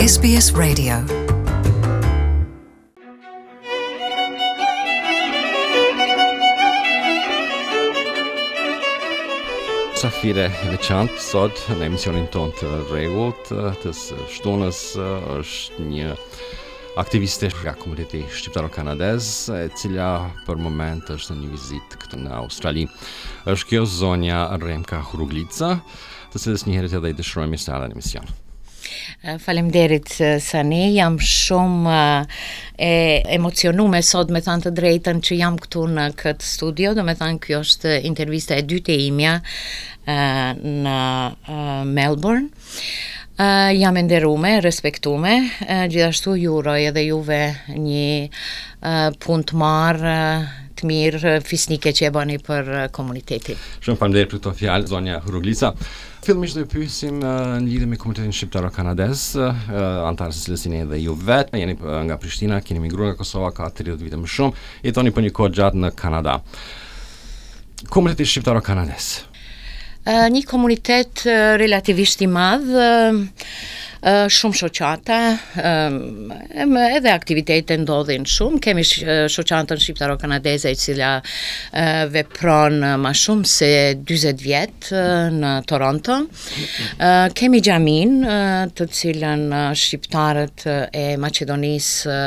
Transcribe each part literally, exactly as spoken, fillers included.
S B S Radio. Mysafire e veçantë sot në emisionin tonë të rregullt të së shtunës është një aktiviste nga komuniteti shqiptaro-kanadez, e cila për moment është në një vizitë këtu në Australi. Është kjo zonja Remka Huruglica, të cilës njëherët edhe i dëshirojmë mirëseardhjen në emision. Faleminderit, Sani, jam shumë e emocionume sot, me thanë të drejtën, që jam këtu në këtë studio, do me thanë, kjo është intervista e dytë e imja në Melbourne. Uh, jam e nderume, respektume, uh, gjithashtu ju uroj edhe juve një uh, punë të marë, të mirë, fisnike që e bëni për komunitetin. Shumë faleminderit për këto fjalë, zonja Huruglica. Fillimisht do të pyesim në lidhje me komunitetin shqiptaro-kanadez, anëtarë së cilës jeni edhe ju vetë, jeni nga Prishtina, keni migruar nga Kosova ka tridhjetë vite më shumë, jetoni për një kohë gjatë në Kanada. Komuniteti shqiptaro-kanadez. Një komunitet relativisht i madh, shumë shoqata, edhe aktivitete ndodhin shumë. Kemi shoqatën shqiptaro-kanadeze, e cila vepron ma shumë se dyzet vjet në Toronto. Kemi xhamin, të cilën shqiptarët e Maqedonisë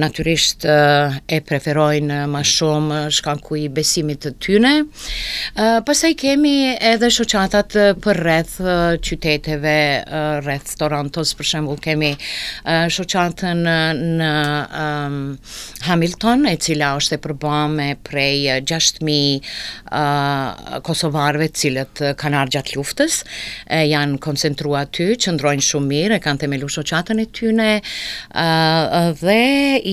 natyrisht e preferojnë ma shumë shkaku i besimit të tyne. Pastaj kemi edhe shoqatat për rreth qyteteve, rreth Torontos, për shembull kemi shoqatën në um, Hamilton, e cila është e përbame prej gjashtë mijë uh, kosovarëve, të cilët kanë ardhur gjatë luftës, e, janë koncentruar aty, qëndrojnë shumë mirë, e kanë themelu shoqatën e tyne, uh, dhe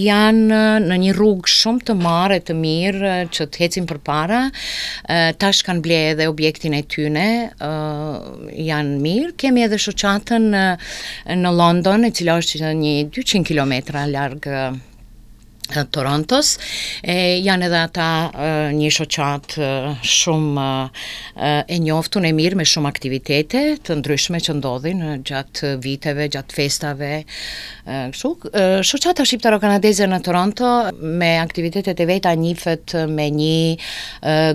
janë në një rrugë shumë të marë e të mirë që të ecin përpara. Uh, tash kanë ble edhe objektin e tyne, uh, janë mirë. Kemi edhe shoqatën në London, e cila është një dyqind kilometra larg Torontos. E, janë edhe ata një shoqatë shumë e njoftun, e mirë, me shumë aktivitete të ndryshme që ndodhin gjatë viteve, gjatë festave. Kështu, shoqata shqiptaro-kanadeze në Toronto me aktivitetet e veta njihet me një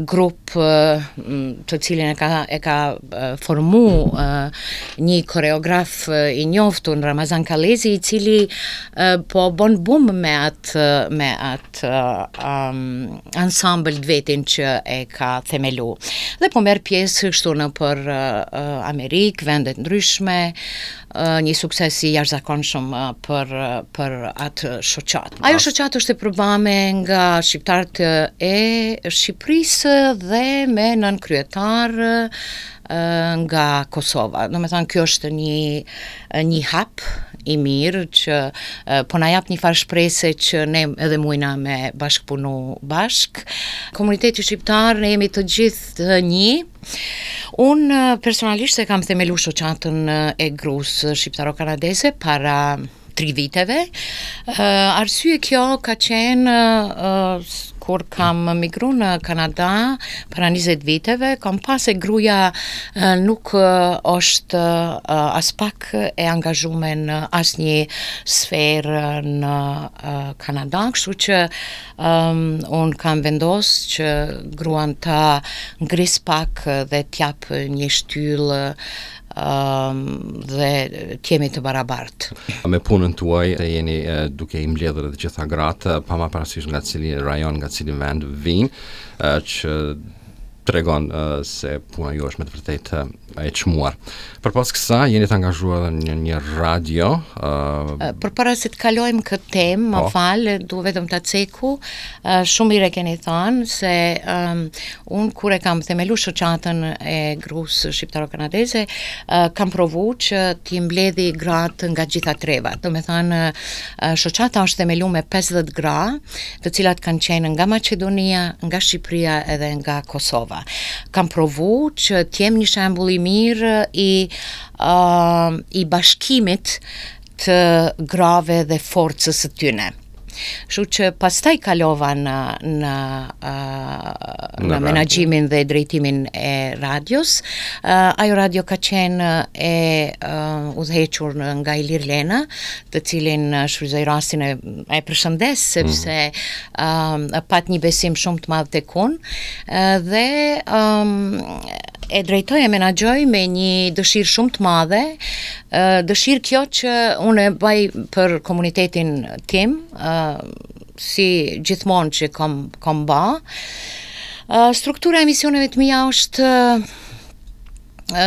grup të cilin e ka e ka formu një koreograf i njoftun, Ramazan Kalezi, i cili po bon bum me atë me atë um, ansambl të vetin që e ka themelu. Dhe po merr pjesë kështu në për uh, Amerikë, vende të ndryshme, uh, një sukses i jashtëzakonshëm uh, për për atë shoqatë. Ajo shoqatë është e përbame nga shqiptarët e Shqipërisë dhe me nën kryetar nga Kosova. Do me thënë, kjo është një, një hap i mirë që po na jap një farë shprese që ne edhe mujna me bashkëpunu bashk. Komuniteti shqiptar, ne jemi të gjithë një. Unë personalisht e kam themelu shoqatën e grus shqiptaro-kanadeze para tri viteve. Uh, arsye kjo ka qenë uh, kur kam migru në Kanada para njëzet viteve, kam pas se gruaja uh, nuk uh, është uh, as pak e angazhuar në asnjë sferë në uh, Kanada, kështu që um, unë kam vendos që gruan ta ngris pak dhe t'jap një shtyllë um, dhe t'jemi të barabartë. Me punën tuaj jeni duke i mbledhur të gjitha gratë, pa marrë parasysh nga cili rajon, nga cili vend vijnë, që tregon se puna ju është me të vërtetë e çmuar. Përpos kësaj, jeni të angazhuar edhe në një radio. Uh, Përpara se të kalojmë këtë temë, më po. fal, du vetëm ta ceku, uh, shumë mirë e keni thënë se um, unë kur e kam themelu shoqatën e grus shqiptaro-kanadeze, uh, kam provu që t'i mbledhi gratë nga gjitha trevat. Do me thënë, uh, shoqata është themelu me pesëdhjetë gra, të cilat kanë qenë nga Maqedonia, nga Shqipëria edhe nga Kosova. Kam provu që t'jem një shembull i mirë i, uh, i bashkimit të grave dhe forcës së tyne. Kështu që pastaj kalova në në uh, në menaxhimin dhe drejtimin e radios. Uh, ajo radio ka qenë e uh, udhëhequr nga Ilir Lena, të cilin shfrytëzoj rastin e, e përshëndes sepse mm. uh, pat një besim shumë të madh tek unë uh, dhe um, e drejtoj e menaxhoj me një dëshirë shumë të madhe, dëshirë kjo që unë e baj për komunitetin tim, si gjithmonë që kam, kam ba. Struktura e emisioneve të mia është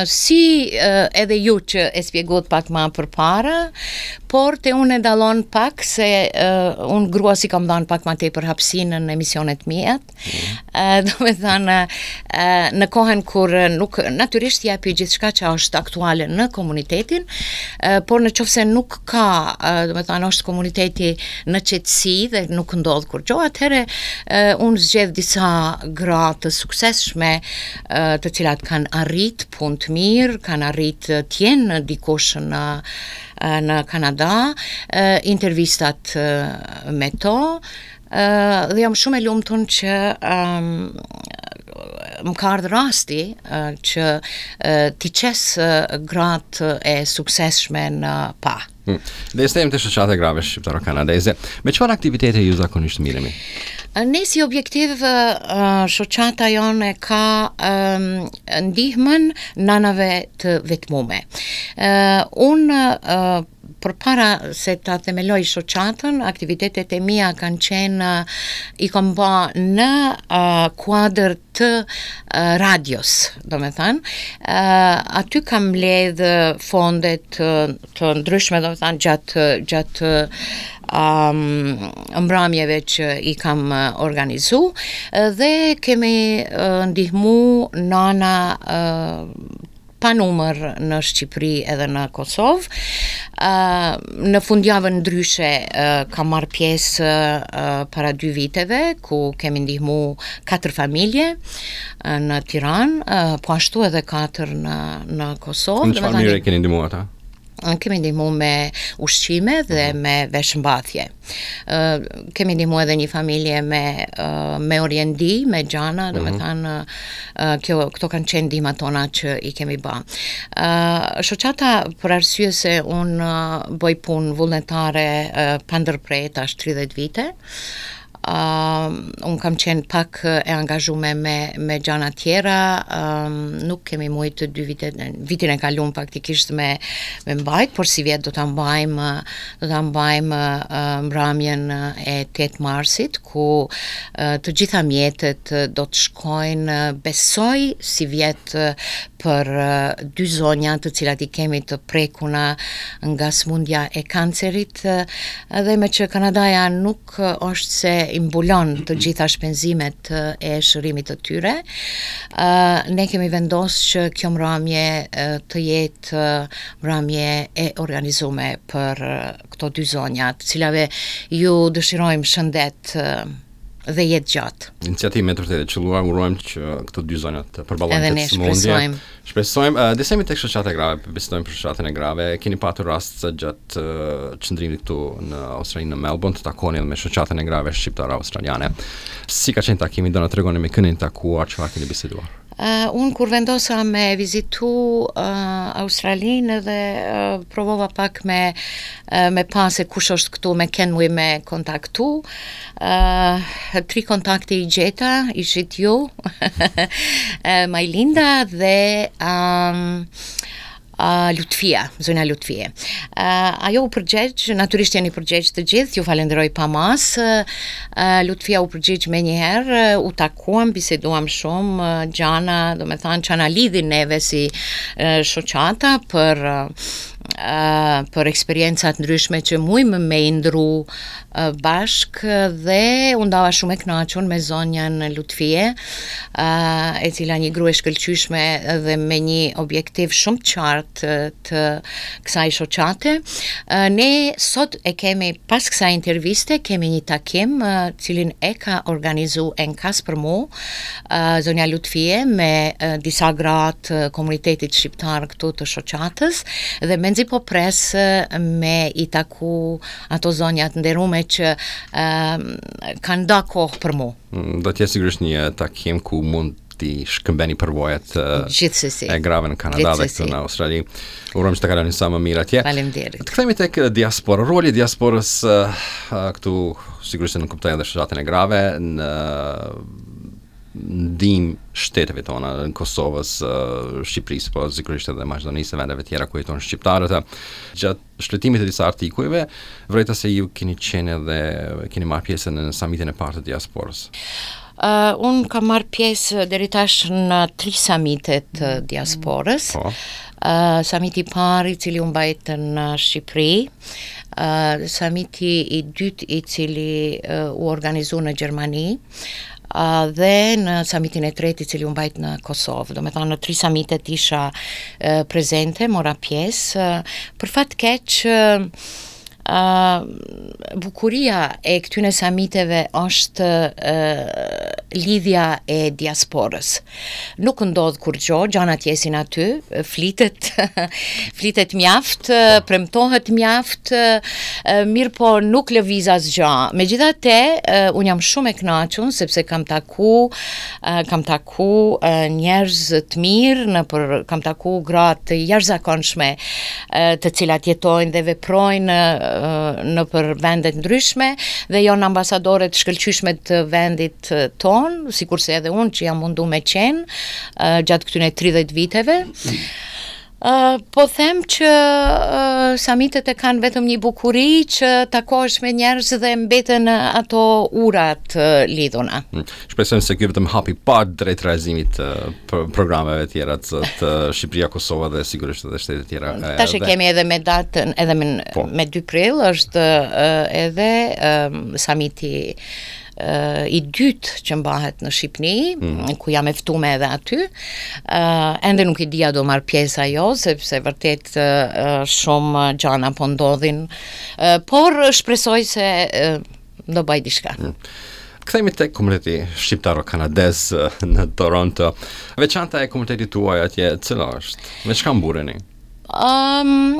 si edhe ju që e spjeguat pak ma përpara, por te unë e dallon pak se uh, unë grua si kam dhanë pak ma tepër hapësinë në emisionet mia. Mm. Uh, do me thënë, uh, në kohën kur nuk, natyrisht jepi gjithçka që është aktuale në komunitetin, uh, por në qoftë se nuk ka, uh, do me thënë, është komuniteti në qetësi dhe nuk ndodh kurgjo, atëherë uh, unë zgjedh disa gra të suksesshme uh, të cilat kanë arrit punë të mirë, kanë arrit të jenë dikush në në Kanada, intervistat me to, dhe jam shumë e lumtun që um, më ka ardhë rasti që t'i qes gratë e suksesshme në pa. Hmm. Dhe jemi te shoqata e grave shqiptaro-kanadeze. Me çfarë aktivitete ju zakonisht mirreni? Ne si objektiv shoqata jonë ka ndihmën nanave të vetmume. Unë përpara se ta themeloj shoqatën, aktivitetet e mia kanë qenë, i kam ba në uh, kuadër të uh, radios, do me thënë. Uh, aty kam mbledh fonde të, të ndryshme, do me thënë, gjatë, gjatë um, mbramjeve që i kam organizu, dhe kemi uh, ndihmu nana uh, pa numër në Shqipëri edhe në Kosovë. Uh, në fundjavën ndryshe uh, kam marrë pjesë uh, para dy viteve, ku kemi ndihmu katër familje uh, në Tiranë, uh, po ashtu edhe katër në, në Kosovë. Në çfarë mënyre keni ndihmuar ata? Kemi ndihmu me ushqime dhe uh-huh. me veshmbathje. Uh, kemi ndihmu edhe një familje me uh, me oriendi, me gjana, do me thënë uh, kjo këto kanë qenë ndihmat tona që i kemi ba. Uh, shoqata për arsye se unë uh, bëj punë vullnetare uh, pa ndërpre tash tridhjetë vite. Uh, unë kam qenë pak e angazhume me, me gjana tjera, um, nuk kemi mujtë të dy vite, vitin e kalum faktikisht me, me mbajt, por si vjet do ta mbajmë, do ta mbajmë uh, mbramjen e tetë marsit, ku uh, të gjitha mjetet do të shkojnë, besoj si vjet për uh, dy zonja të cilat i kemi të prekuna nga smundja e kancerit, dhe me që Kanadaja nuk është se i mbulon të gjitha shpenzimet e shërimit të tyre, uh, ne kemi vendosur që kjo mramje uh, të jetë uh, mramje e organizume për uh, këto dy zonja, të cilave ju dëshirojmë shëndet uh, dhe jetë gjatë. Iniciativë me të vërtetë e qelluar, urojmë që këto dy zonja të përballojnë këtë sëmundje. Shpresojmë. Shpresojmë. Uh, Disa jemi tek shoqata e grave, bisedojmë për shoqatën e grave. Keni patur rast gjatë uh, qëndrimit këtu në Australi, në Melbourne, të takoni edhe me shoqatën e grave shqiptare australiane. Si ka qenë takimi? Do na tregoni me kënin takuar, çfarë keni biseduar? Uh, unë kur vendosa me vizitu uh, Australinë dhe uh, provova pak me, uh, me pa se kush është këtu, me kënë muj me kontaktu. Uh, tri kontakte i gjeta, ishit ju, Majlinda dhe um, Uh, Lutfia, zonja Lutfie. Uh, ajo u përgjegj, natyrisht jeni përgjegj të gjithë, ju falenderoj pa masë. Uh, Lutfia u përgjegj me njëherë, uh, u takuam, biseduam shumë, uh, gjana, do me thënë, që na lidhin neve si uh, shoqata për uh, për eksperiencat ndryshme që mujmë me i ndru uh, bashk, dhe u ndava shumë e kënaqur me zonjën Lutfie, uh, e cila një grua e shkëlqyeshme dhe me një objektiv shumë të qartë të kësaj shoqate. Uh, ne sot e kemi, pas kësaj interviste, kemi një takim uh, cilin e ka organizu enkas për mu, uh, zonja Lutfie, me uh, disa gra të komunitetit shqiptar këtu të shoqatës, dhe mendoj Menzi po pres me i taku ato zonjat nderume që uh, kanë da kohë për mu. Mm, do të jetë sigurisht një takim ku mund t'i shkëmbeni përvojat Gjithsesi. e grave në Kanada dhe këtu në Australi. Urojmë që të kaloni sa më mirë atje. Faleminderit. Të kthehemi tek diaspora. Roli i diasporës këtu sigurisht në kuptoj edhe shoqatën e grave në ndihmë shteteve tona, në Kosovës, Shqipërisë, po sigurisht edhe Maqedonisë e vendeve tjera ku jetojnë shqiptarët. Gjatë shfletimit të disa artikujve, vrejta se ju keni qenë edhe keni marrë pjesë në samitin e parë të diasporës. Uh, unë kam marrë pjesë deri tash në tri samite të diasporës. Po. Uh, samiti i parë i cili u mbajt në Shqipëri, uh, samiti i dytë i cili uh, u organizu në Gjermani, uh, dhe në samitin e tretë i cili u mbajt në Kosovë. Do me thonë në tri samitet isha uh, prezente, mora pjesë. Uh, për fat keq, uh, Uh, bukuria e këtyne samiteve është uh, lidhja e diasporës. Nuk ndodh kurgjo, gjanat jesin aty, flitet, flitet mjaft, premtohet mjaft, mirë po nuk lëviz asgjë. Megjithatë, uh, unë jam shumë e kënaqur sepse kam taku, uh, kam taku uh, njerëz të mirë, nëpër kam taku gra të jashtëzakonshme, uh, të cilat jetojnë dhe veprojnë uh, në për vendet ndryshme dhe janë ambasadore të shkëlqyeshme të vendit ton, sikurse edhe unë që jam mundu me qenë uh, gjatë këtyre tridhjetë viteve. Uh, po them që uh, samitet e kanë vetëm një bukuri që takohesh me njerëz dhe mbeten ato urat uh, lidhuna. Shpresojmë se ky vetëm hapi pa drejt realizimit të uh, programeve tjera të, të Shqipëria, Kosova dhe sigurisht edhe shtetet tjera. Tash e kemi edhe me datën, edhe me, Po. me dy prill është uh, edhe um, samiti uh, i dytë që mbahet në Shqipëri, mm. ku jam e ftume edhe aty. Uh, ende nuk i dia do marr pjesë ajo, sepse vërtet uh, shumë gjana po ndodhin, uh, por shpresoj se uh, do bëj diçka. Mm. Kthehemi tek komuniteti shqiptaro-kanadez në Toronto. Veçanta e komunitetit tuaj atje, cila është? Me çka mburreni? Um,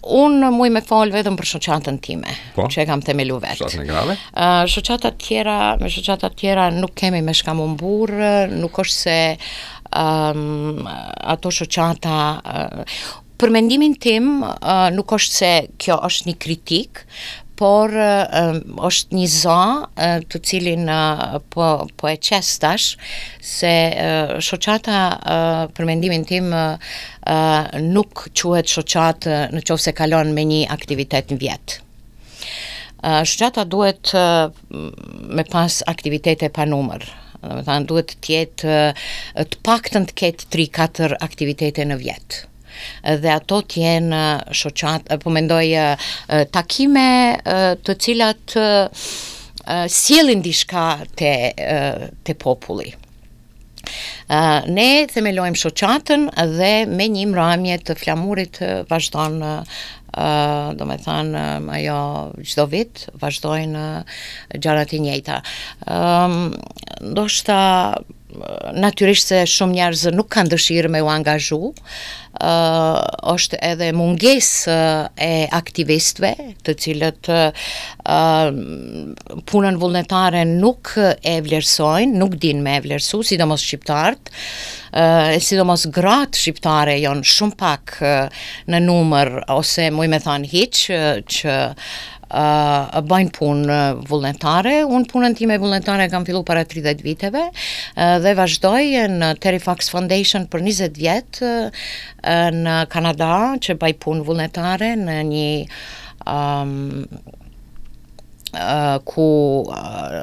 unë muj me fol vetëm për shoqatën time, Po? që e kam themelu vetë. Shoqatën e grave? Uh, shoqatat tjera, me shoqatat tjera nuk kemi me shka më mburr, nuk është se um, ato shoqata uh, për mendimin tim uh, nuk është se kjo është një kritik, por uh, është një za uh, të cilin uh, po, po e qes tash, se uh, shoqata uh, për mendimin tim uh, uh, nuk quhet shoqatë në qoftë se kalon me një aktivitet në vjet. Uh, shoqata duhet uh, me pas aktivitete pa numër. Do me thënë, duhet të jetë uh, të paktën të ketë tri katër aktivitete në vjet. Dhe ato të jenë shoqat, po mendoj takime të cilat sjellin diçka te te populli. Ne themelojmë shoqatën dhe me një mramje të flamurit vazhdon, do me thënë, ajo çdo vit vazhdojnë gjërat e njëjta. Ndoshta natyrisht se shumë njerëz nuk kanë dëshirë me u angazhu, uh, është edhe mungesë e aktivistëve, të cilët uh, punën vullnetare nuk e vlerësojnë, nuk din me e vlerësu, sidomos shqiptarët, uh, sidomos gratë shqiptare janë shumë pak uh, në numër, ose muj me thanë hiq, uh, që uh, bëjnë punë vullnetare. Unë punën time vullnetare kam fillu para tridhjetë viteve uh, dhe vazhdoj në Terry Fox Foundation për njëzet vjet uh, në Kanada, që bëj punë vullnetare në një um, uh, ku uh,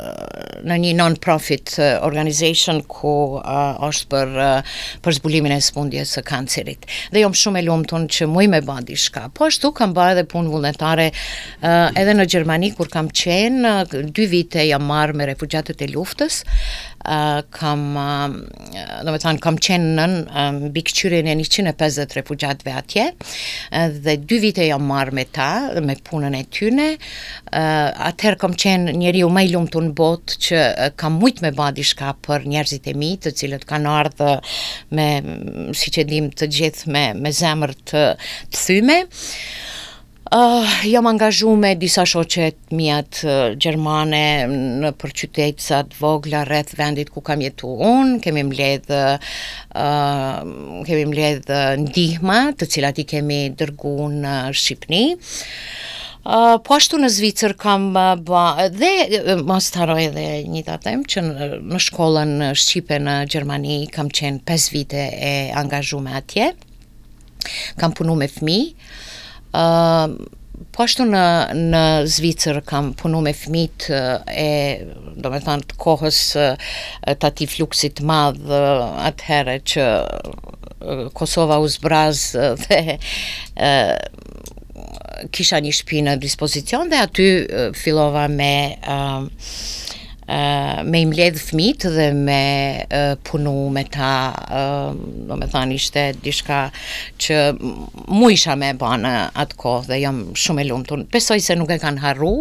në një non-profit organization ku uh, është për uh, për zbulimin e sëmundjes së kancerit. Dhe jam shumë e lumtur që muj me ba diçka. Po ashtu kam bërë edhe punë vullnetare uh, edhe në Gjermani kur kam qenë, uh, dy vite jam marrë me refugjatët e luftës Uh, kam, uh, domethanë, kam qenë nën uh, mbikëqyrjen e njëqind e pesëdhjetë refugjatëve atje, uh, dhe dy vite jam marrë me ta, me punën e tyne. Uh, atëherë kam qenë njeriu më i lumtur në botë që uh, kam mujt me ba diçka për njerëzit e mi, të cilët kanë ardhur me, siç e dim të gjithë, me, me zemër të, të thyme. Uh, jam angazhu me disa shoqe të mijat uh, gjermane në për qytetësa të vogla rreth vendit ku kam jetu unë, kemi mbledh, uh, kemi mbledh ndihma të cilat i kemi dërgu në Shqipëni. Uh, po ashtu në Zvicër kam uh, ba, dhe uh, mos të harroj edhe një ta them që në, në shkollën shqipe në Gjermani kam qenë pesë vite e angazhume atje. Kam punu me fëmijë. Uh, po ashtu në, në Zvicër kam punu me fëmijët e, do me thënë, të kohës të atij fluksit të madh atëherë që Kosova u zbraz dhe uh, kisha një shtëpi në dispozicion dhe aty fillova me uh, uh, me i mbledh fëmijët dhe me uh, punu me ta, uh, do me thënë ishte diçka që mu isha me e ba në atë kohë dhe jam shumë e lumtur. Besoj se nuk e kanë harru.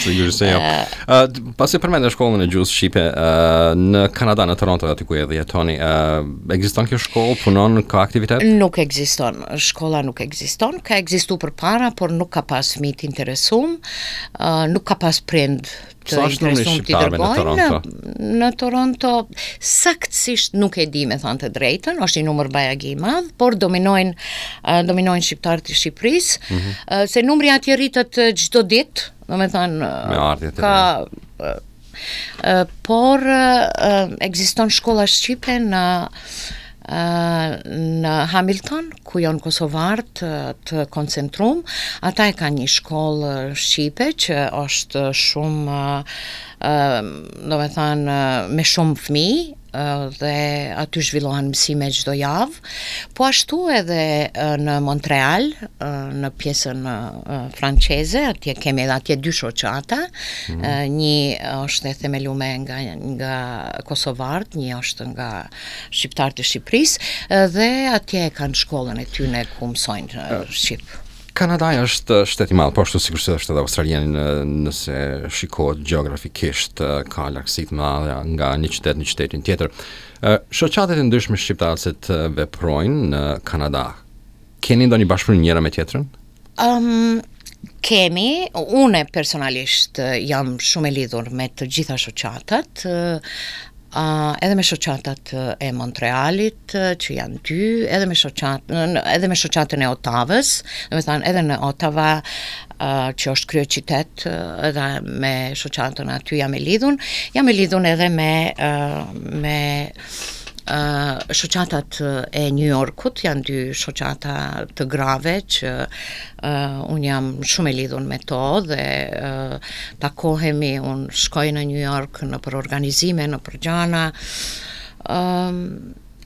Sigurisht se jo. Uh, pasi përmendë shkollën e gjuhës shqipe uh, në Kanada, në Toronto, aty ku edhe jetoni, uh, ekziston kjo shkollë, punon, ka aktivitet? Nuk ekziston. Shkolla nuk ekziston. Ka ekzistu përpara, por nuk ka pas fëmijë të interesum, uh, nuk ka pas prind të Sa është numri i interesum t'i shqiptarëve në dërgojnë. Toronto? Në Toronto saktësisht nuk e di me thënë të drejtën, është një numër bajagi i madh, por dominojnë uh, dominojnë shqiptarët e Shqipërisë, mm Mhm. -hmm. uh, se numri atje rritet uh, çdo ditë, do me thënë uh, Me ardhjet e ka uh, uh, por uh, ekziston shkolla shqipe në uh, në Hamilton, ku janë kosovarët të, të koncentrum. Ata e kanë një shkollë shqipe që është shumë, uh, do me thënë, me shumë fëmijë, uh, dhe aty zhvillohen mësime çdo javë. Po ashtu edhe uh, në Montreal, uh, në pjesën uh, franceze, atje kemi edhe atje dy shoqata. Mm. Uh, një është e themelume nga nga kosovarët, një është nga shqiptarët e Shqipërisë, uh, dhe atje kanë shkollën e tyne ku mësojnë uh, shqip. Kanadaja është shtet i madh, po ashtu sigurisht është edhe Australia në, nëse shikohet gjeografikisht ka largësi të mëdha nga një qytet në qytetin tjetër. Shoqatat e ndryshme shqiptare se të veprojnë në Kanada. Keni ndonjë bashkëpunim njëra me tjetrën? Um, kemi, une personalisht jam shumë e lidhur me të gjitha shoqatat, Uh, edhe me shoqatat e Montrealit, që janë dy, edhe me shoqat, edhe me shoqatën e Ottavës, do të thënë edhe në Ottawa, uh, që është kryeqytet, edhe me shoqatën aty jam e lidhun, jam e lidhun edhe me uh, me uh, shoqatat e New Yorkut, janë dy shoqata të grave që uh, unë jam shumë e lidhur me to dhe uh, takohemi, unë shkoj në New York në për organizime, në për gjana. Um,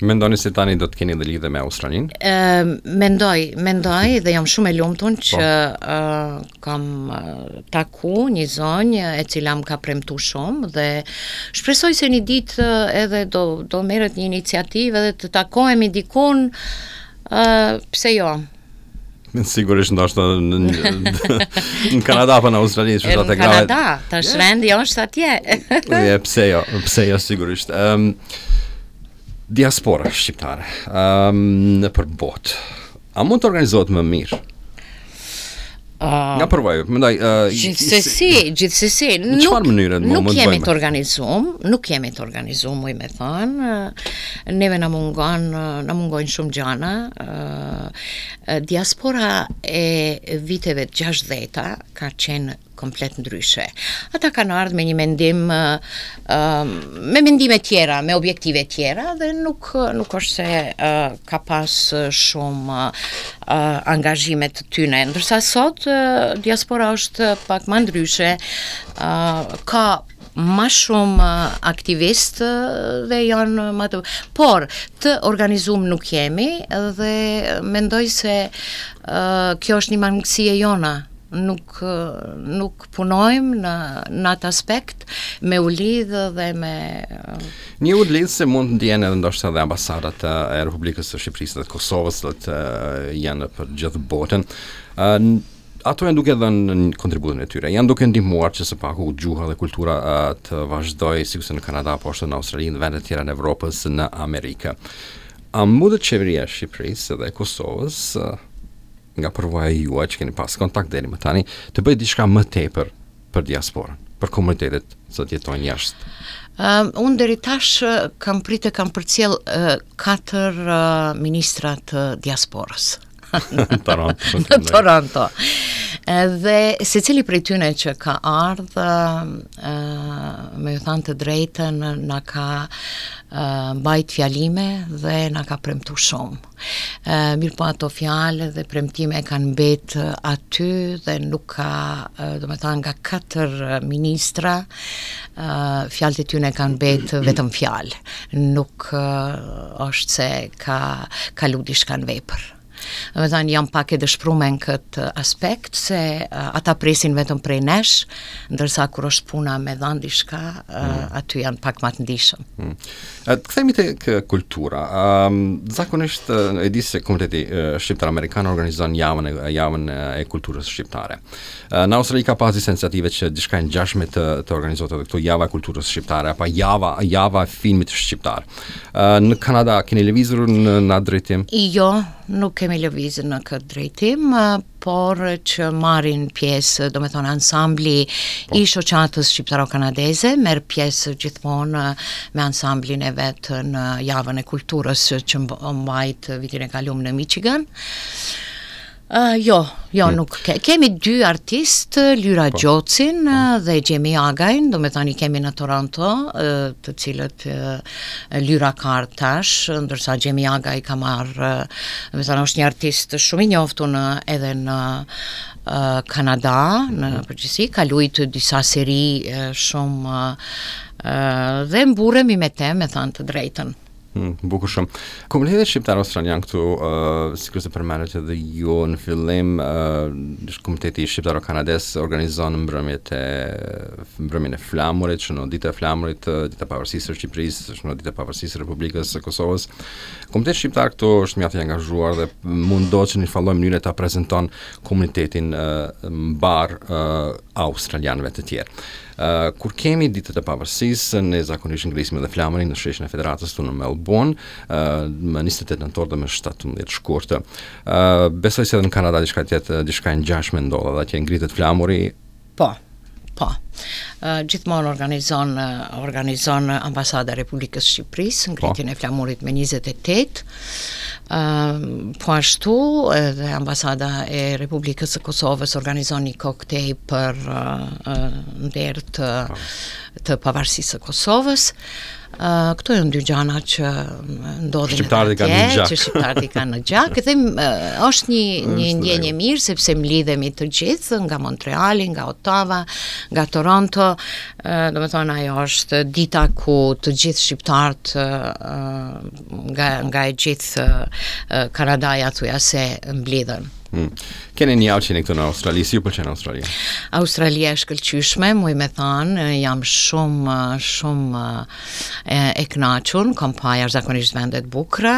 Mendoni se tani do të keni edhe lidhje me Australinë? Uh, mendoj, mendoj dhe jam shumë e lumtur që uh, kam uh, taku një zonjë e cila më ka premtu shumë dhe shpresoj se një ditë uh, edhe do do merret një iniciativë edhe të takohemi dikun, uh, pse jo? Sigurisht ndoshta në, në, në Kanada apo në Australi, që Në Kanada, tash yeah. rendi është atje. Je, pse jo, pse jo sigurisht. Ëm um, diaspora shqiptare um, në për botë. A mund të organizohet më mirë? Uh, Nga përvoja, mendoj, uh, gjithsesi, gjithsesi, në çfarë mënyre nuk mund të jemi të organizuar, nuk jemi të organizuar, muj me thënë. Neve na mungon, na mungojnë shumë gjana. Uh, diaspora e viteve të gjashtëdhjeta ka qenë komplet ndryshe. Ata kanë ardhur me një mendim, uh, me mendime tjera, me objektive tjera dhe nuk nuk është se uh, ka pas shumë uh, angazhime të tyne. Ndërsa sot uh, diaspora është pak më ndryshe, uh, ka ma shumë aktivist dhe janë ma të... Por, të organizum nuk jemi dhe mendoj se uh, kjo është një mangësi e jona. Nuk nuk punojmë në në atë aspekt me u lidhë dhe me Një udhë lidhëse mund të ndjenë edhe ndoshta edhe ambasadat e Republikës së Shqipërisë dhe të Kosovës, dhe të janë për gjithë botën. Ë ato janë duke dhënë në kontributin e tyre. Janë duke ndihmuar që së paku gjuha dhe kultura uh, të vazhdojë sikurse në Kanada, po ashtu në Australi, në vende të tjera në Evropës, në Amerikë. A mundet qeveria e Shqipërisë dhe e Kosovës, uh, nga përvoja juaj që keni pas kontakt deri më tani, të bëjë diçka më tepër për diasporën, për komunitetet që jetojnë jashtë? Um, unë deri tash kam pritë, kam përcjell uh, katër uh, ministra të diasporës. Në Toronto. Në Toronto. Dhe secili prej tyne që ka ardhë, uh, me ju thanë të drejtën, na ka uh, mbajt fjalime dhe na ka premtu shumë. Uh, mirë po ato fjalë dhe premtime kanë mbet aty dhe nuk ka, uh, do me thanë, nga katër ministra, uh, fjalët e tyne kanë mbet vetëm fjalë. Nuk uh, është se ka kalu diçka në vepër. Do me thënë, jam pak e dëshprume në këtë aspekt, se uh, ata presin vetëm prej nesh, ndërsa kur është puna me dhanë diçka, uh, mm. aty janë pak më të ndishëm. Mm. Të kthehemi tek kultura. Um, zakonisht e di se komuniteti shqiptar amerikan organizon javën e javën e kulturës shqiptare. Në Australi ka pas disa iniciative që diçka e ngjashme të të organizohet edhe këtu, java e kulturës shqiptare apo java java e filmit shqiptar. Në Kanada keni lëvizur në në atë drejtim? Jo, nuk kemi lëvizur në këtë drejtim, por që marrin pjesë, do me thonë, ansambli po. i shoqatës shqiptaro-kanadeze, merr pjesë gjithmonë me ansamblin e vet në javën e kulturës që mbajt vitin e kalum në Michigan. Uh, jo, jo, hmm. nuk ke. Kemi dy artistë, Lyra po. Gjocin po. dhe Gjemi Agajn, do me thani kemi në Toronto, të cilët Lyra ka ardhë tash, ndërsa Gjemi Agaj ka marrë, do me thënë, është një artist shumë i njohur në, edhe në uh, Kanada, në hmm. përgjithësi, ka luajtur disa seri uh, shumë uh, dhe mburremi me te, me thënë të drejtën. Hmm, bukur shumë. Komuniteti shqiptar australian këtu, uh, sikurse përmendët edhe ju në fillim, uh, komuniteti shqiptaro-kanades organizon mbrëmjet e mbrëmjen e flamurit, shënon dita e flamurit, dita e pavarësisë së Shqipërisë, shënon dita e pavarësisë së Republikës së Kosovës. Komuniteti shqiptar këtu është mjaft i angazhuar dhe mundohet që në një farë mënyre ta prezanton komunitetin uh, mbar uh, australianëve të tjerë. Uh, kur kemi ditët e pavarësisë, ne zakonisht ngrisim edhe flamurin në sheshin e Federatës këtu në Melbourne, uh, më njëzet e tetë nëntor dhe më shtatëmbëdhjetë shkurt. Uh, besoj se edhe në Kanada diçka tjetër, diçka e ngjashme ndodh, edhe atje ngritet flamuri. Po. Po. Uh, gjithmonë organizon organizon ambasada e Republikës së Shqipërisë ngritjen po. e flamurit me njëzet e tetë. Uh, po ashtu edhe ambasada e Republikës së Kosovës organizon një koktej për uh, uh, nder të po. të pavarësisë së Kosovës. Uh, këto janë dy gjana që ndodhin shqiptarët i kanë në gjak. Që shqiptarët i kanë në gjak dhe uh, është një një ndjenjë e mirë sepse mblidhemi të gjithë nga Montreali, nga Ottawa, nga Toronto, uh, do të thonë ajo është dita ku të gjithë shqiptarët uh, nga nga e gjithë uh, Kanadaja thuja se mblidhen. Hmm. Keni një javë që jeni këtu në Australi, si ju pëlqen Australia? Australia është shkëlqyeshme, muj me thanë, jam shumë, shumë e, e kënaqur, kam pa jashtëzakonisht vende të bukura,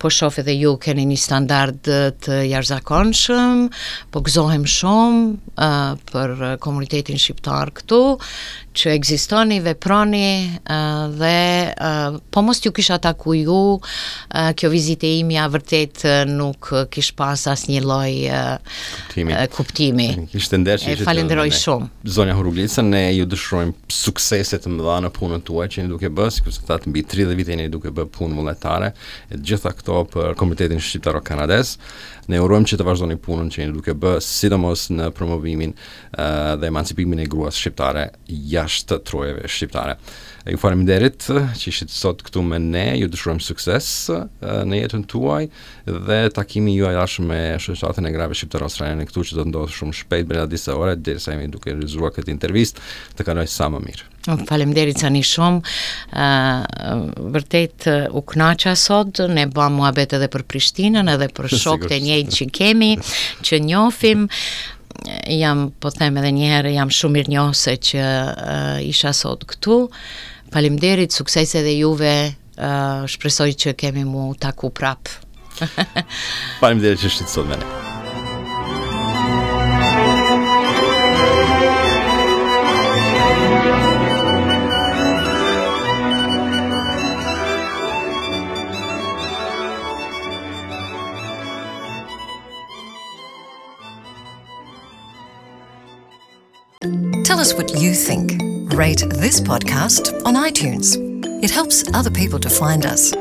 po shoh edhe ju keni një standard të jashtëzakonshëm, po gëzohem shumë uh, për komunitetin shqiptar këtu, që ekzistoni, veproni uh, dhe uh, po mos t'ju kisha taku ju, uh, kjo vizitë imja vërtet nuk kish pas asnjë lloj uh, kuptimi. Uh, kuptimi. Ishte nder që ishte. Falenderoj shumë. Zonja Huruglica, ne ju dëshirojmë suksese të mëdha në punën tuaj që jeni duke bërë, sikurse thatë mbi tridhjetë vite jeni duke bërë punë vullnetare, e të gjitha këto për komunitetin shqiptaro-kanadez. Ne urojmë që të vazhdoni punën që jeni duke bërë, sidomos në promovimin uh, dhe emancipimin e gruas shqiptare jashtë trojeve shqiptare. Ju faleminderit që ishit sot këtu me ne, ju dëshirojmë sukses në jetën tuaj dhe takimi juaj ardhshëm me shoqatën e grave shqiptare australiane këtu që do të ndodhë shumë shpejt brenda disa ore derisa jemi duke realizuar këtë intervistë, të kaloj sa më mirë. Faleminderit Sani shumë. Uh, vërtet u kënaqa sot, ne bëm muhabet edhe për Prishtinën, edhe për shokët e njëjtë që kemi, që njohim. Jam, po them edhe një herë, jam shumë mirënjohëse që uh, isha sot këtu. Faleminderit, sukses edhe juve. Uh, shpresoj që kemi mu taku prap. Faleminderit që ishit sot me ne. Tell us what you think. Rate this podcast on iTunes. It helps other people to find us.